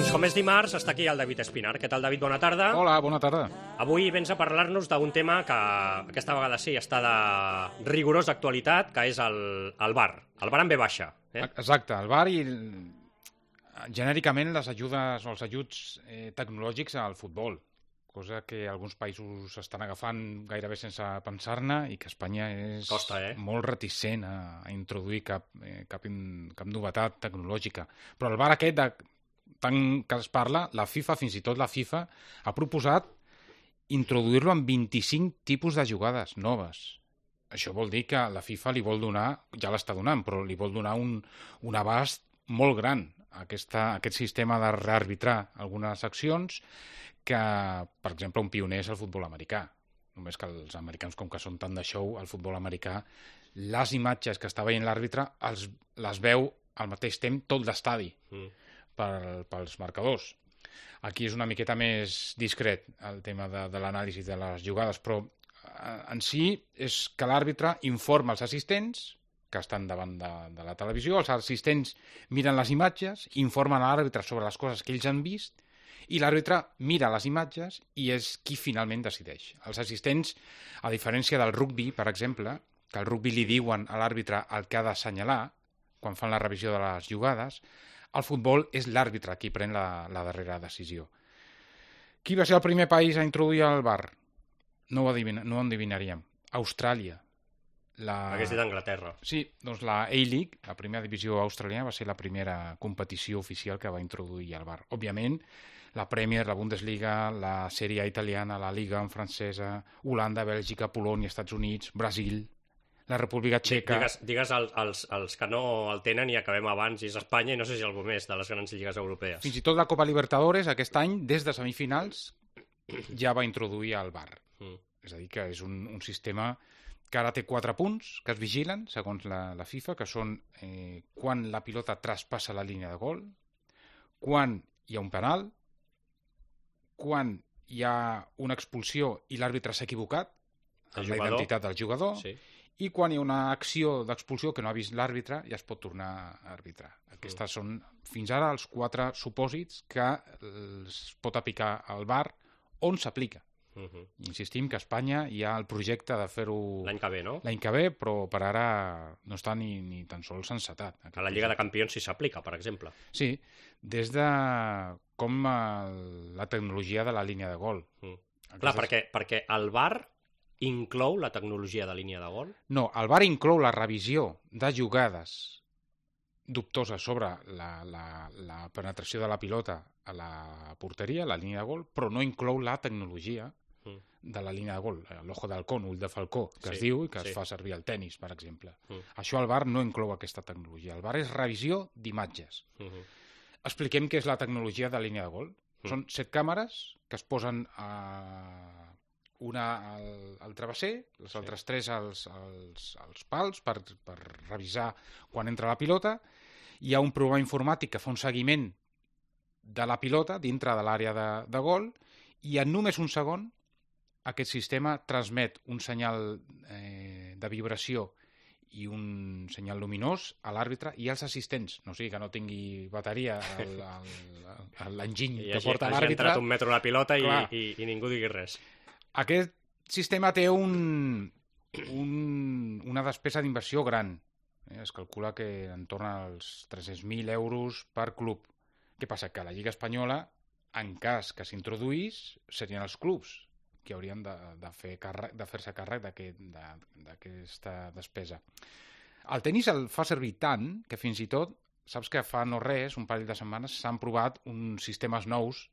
Doncs com és dimarts, està aquí el David Espinar. Què tal, David? Bona tarda. Hola, bona tarda. Avui vens a parlar-nos d'un tema que aquesta vegada sí està de rigorosa actualitat, que és el VAR. El VAR en ve baixa. Exacte, el VAR i genèricament les ajudes o els ajuts tecnològics al futbol, cosa que alguns països estan agafant gairebé sense pensar-ne i que Espanya és molt reticent a introduir cap novetat tecnològica. Però el VAR aquest, tant que es parla, la FIFA, fins i tot la FIFA, ha proposat introduir-lo en 25 tipus de jugades noves. Això vol dir que la FIFA li vol donar, ja l'està donant, però li vol donar un abast molt gran a aquest sistema de rearbitrar algunes accions que, per exemple, un pioner és el futbol americà. Només que els americans, com que són tant de show, el futbol americà, les imatges que està veient l'àrbitre les veu al mateix temps tot l'estadi pels marcadors. Aquí és una miqueta més discret el tema de l'anàlisi de les jugades, però en si és que l'àrbitre informa els assistents que estan davant de la televisió, els assistents miren les imatges, informen a l'àrbitre sobre les coses que ells han vist, i l'àrbitre mira les imatges i és qui finalment decideix. Els assistents, a diferència del rugbi, per exemple, que al rugbi li diuen a l'àrbitre el que ha d'assenyalar quan fan la revisió de les jugades, al futbol és l'àrbitre qui pren la darrera decisió. Qui va ser el primer país a introduir el VAR? No ho endevinaríem. Austràlia. Hagués dit Anglaterra. Sí, doncs la A-League, la primera divisió australiana, va ser la primera competició oficial que va introduir el VAR. Òbviament, la Premier, la Bundesliga, la Sèrie A italiana, la Liga francesa, Holanda, Bèlgica, Polònia, Estats Units, Brasil, la República Txeca... Digues els que no el tenen i acabem abans, i és Espanya i no sé si algú més de les grans lligues europees. Fins i tot la Copa Libertadores aquest any, des de semifinals, ja va introduir el VAR. És a dir, que és un sistema que ara té 4 punts que es vigilen, segons la FIFA, que són quan la pilota traspassa la línia de gol, quan hi ha un penal, quan hi ha una expulsió i l'àrbitre s'ha equivocat en la identitat del jugador, i quan hi ha una acció d'expulsió que no ha vist l'àrbitre ja es pot tornar a arbitrar. Aquests són, fins ara, els 4 supòsits que es pot aplicar al VAR on s'aplica. Insistim que a Espanya hi ha el projecte de fer-ho l'any que ve, no? L'any que ve, però per ara no està ni tan sols encetat. A la Lliga de Campions sí s'aplica, per exemple. Sí, des de com la tecnologia de la línia de gol. Clar, perquè el VAR inclou la tecnologia de línia de gol? No, el VAR inclou la revisió de jugades dubtoses sobre la penetració de la pilota a la porteria, a la línia de gol, però no inclou la tecnologia de la línia de gol, l'ojo d'halcón, ull de falcó, que es diu i que es fa servir al tennis, per exemple. Això el VAR no inclou aquesta tecnologia. El VAR és revisió d'imatges. Expliquem què és la tecnologia de línia de gol. Són 7 càmeres que es posen una al travesser, les altres 3 als pals per revisar quan entra la pilota. Hi ha un programa informàtic que fa un seguiment de la pilota dintre de l'àrea de gol i en només un segon aquest sistema transmet un senyal de vibració i un senyal luminós a l'àrbitre i als assistents, no sigui que no tingui bateria l'enginy que porta l'àrbitre. Hagi entrat un metro la pilota i ningú digui res. Aquest sistema té una despesa d'inversió gran. Es calcula que entorn als 300.000 euros per club. Què passa? Que a la Lliga Espanyola, en cas que s'introduís, serien els clubs que haurien de fer-se càrrec d'aquesta despesa. El tenis el fa servir tant que fins i tot, saps que fa no res, un parell de setmanes, s'han provat uns sistemes nous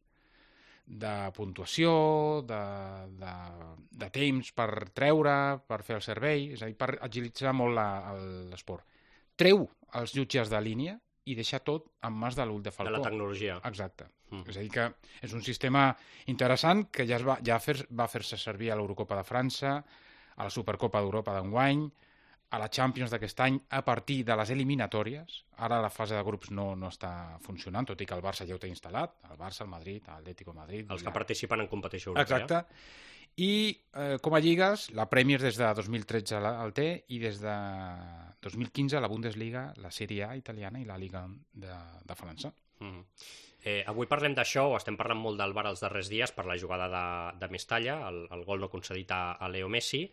de puntuació, de temps per treure, per fer el servei, és a dir, per agilitzar molt l'esport. Treu els jutges de línia i deixar tot en mans de l'ull de falcó. De la tecnologia. Exacte. És a dir, que és un sistema interessant que ja va fer-se servir a l'Eurocopa de França, a la Supercopa d'Europa d'enguany, a la Champions d'aquest any a partir de les eliminatòries. Ara la fase de grups no està funcionant, tot i que el Barça ja ho té instal·lat, el Barça, el Madrid, l'Atlético de Madrid... Els que participen en competició europea. Exacte. I com a lligues, la Premier des de 2013 el té i des de 2015 la Bundesliga, la Sèrie A italiana i la Liga de França. Avui parlem d'això, o estem parlant molt del VAR els darrers dies per la jugada de Mestalla, el gol no concedit a Leo Messi.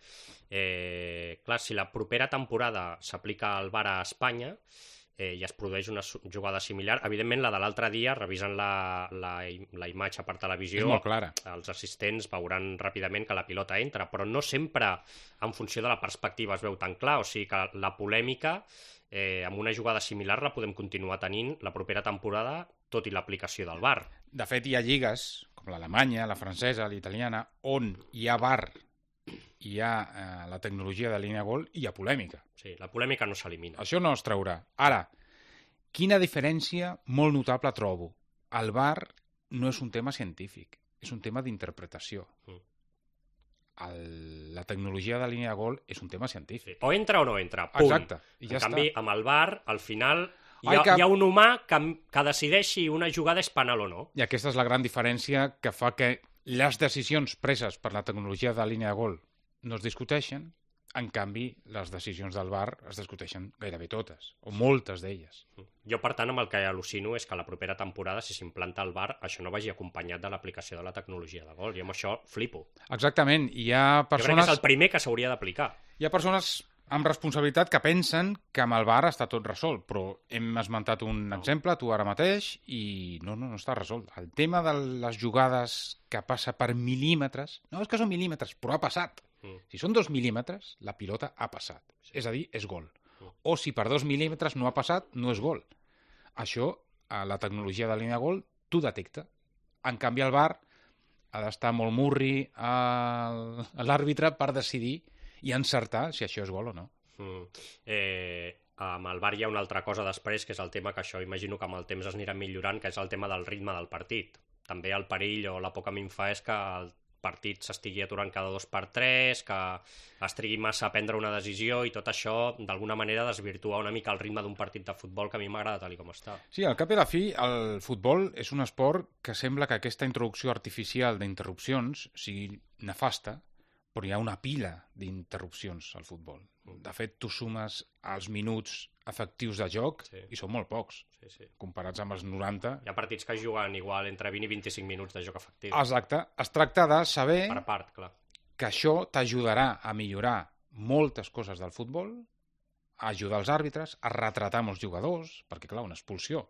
Clar, si la propera temporada s'aplica el VAR a Espanya i es produeix una jugada similar, evidentment la de l'altre dia, revisant la imatge per televisió, és molt clara. Els assistents veuran ràpidament que la pilota entra, però no sempre en funció de la perspectiva es veu tan clar, o sigui que la polèmica amb una jugada similar la podem continuar tenint la propera temporada, tot i l'aplicació del VAR. De fet, hi ha lligues, com l'alemanya, la francesa, l'italiana, on hi ha VAR, hi ha la tecnologia de línia gol i hi ha polèmica. Sí, la polèmica no s'elimina. Això no es traurà. Ara, quina diferència molt notable trobo. El VAR no és un tema científic, és un tema d'interpretació. La tecnologia de línia de gol és un tema científic. O entra o no entra, punt. Exacte. I ja en canvi, està. amb el VAR, al final, hi ha un humà que decideix si una jugada és penal o no. I aquesta és la gran diferència que fa que les decisions preses per la tecnologia de línia de gol no es discuteixen, en canvi, les decisions del VAR es discuteixen gairebé totes, o moltes d'elles. Jo, per tant, amb el que al·lucino és que la propera temporada, si s'implanta el VAR, això no vagi acompanyat de l'aplicació de la tecnologia de gol. I amb això flipo. Exactament. Hi ha persones... Jo crec que és el primer que s'hauria d'aplicar. Hi ha persones amb responsabilitat que pensen que amb el VAR està tot resolt, però hem esmentat un exemple, tu ara mateix, i no està resolt. El tema de les jugades que passa per mil·límetres, no és que són mil·límetres, però ha passat. Si són 2 mil·límetres, la pilota ha passat. Sí. És a dir, és gol. O si per 2 mil·límetres no ha passat, no és gol. Això, a la tecnologia de línia de gol, t'ho detecta. En canvi, el VAR ha d'estar molt murri a l'àrbitre per decidir i encertar si això és gol o no. Amb el VAR hi ha una altra cosa després, que és el tema que això imagino que amb el temps es anirà millorant, que és el tema del ritme del partit. També el perill o la por que a mi em fa és que el partit s'estigui aturant cada 2x3, que es trigui massa a prendre una decisió i tot això, d'alguna manera, desvirtua una mica el ritme d'un partit de futbol que a mi m'agrada tal com està. Sí, al cap i a la fi, el futbol és un esport que sembla que aquesta introducció artificial d'interrupcions sigui nefasta, però hi ha una pila d'interrupcions al futbol. De fet, tu sumes els minuts efectius de joc i són molt pocs, comparats amb els 90. Hi ha partits que juguen igual entre 20 i 25 minuts de joc efectiu. Exacte. Es tracta de saber per part, clar, que això t'ajudarà a millorar moltes coses del futbol, a ajudar els àrbitres, a retratar molts jugadors, perquè, clar, una expulsió,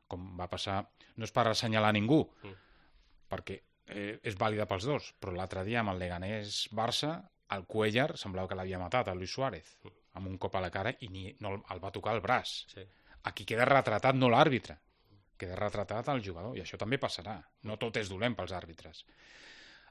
com va passar, no és per assenyalar ningú, perquè és vàlida pels dos, però l'altre dia amb el Leganés-Barça, el Cuéllar semblava que l'havia matat, el Luis Suárez, amb un cop a la cara i no el va tocar el braç. Sí. Aquí queda retratat no l'àrbitre, queda retratat el jugador, i això també passarà. No tot és dolent pels àrbitres.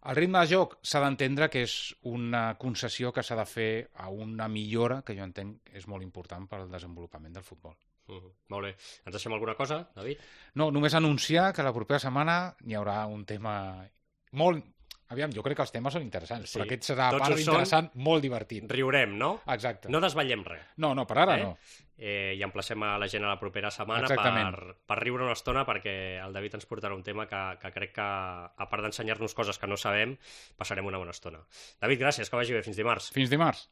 El ritme de joc s'ha d'entendre que és una concessió que s'ha de fer a una millora que jo entenc és molt important per al desenvolupament del futbol. Molt bé. Ens deixem alguna cosa, David? No, només anunciar que la propera setmana hi haurà un tema molt... Aviam, jo crec que els temes són interessants, però aquest serà a part interessant, molt divertit. Riurem, no? Exacte. No desvetllem res. No, per ara no. I emplacem a la gent a la propera setmana per riure una estona, perquè el David ens portarà un tema que crec que, a part d'ensenyar-nos coses que no sabem, passarem una bona estona. David, gràcies, que vagi bé. Fins dimarts. Fins dimarts.